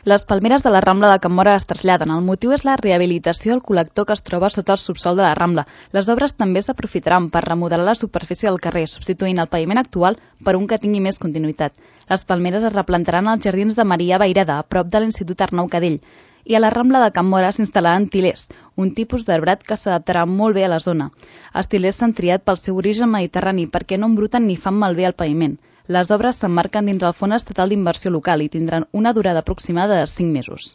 Les palmeres de la Rambla de Can Móra es traslladen. El motiu és la rehabilitació del col·lector que es troba sota el subsòl de la Rambla. Les obres també s'aprofitaran per remodelar la superfície del carrer, substituint el paviment actual per un que tingui més continuïtat. Les palmeres es replantaran als jardins de Maria Vaireda, a prop de l'Institut Arnau Cadell. I a la Rambla de Can Móra s'instal·laran tilers, un tipus d'arbrat que s'adaptarà molt bé a la zona. Els tilers s'han triat pel seu origen mediterrani perquè no embruten ni fan malbé el paviment. Les obres s'emmarquen dins el Fons Estatal d'Inversió Local i tindran una durada aproximada de 5 mesos.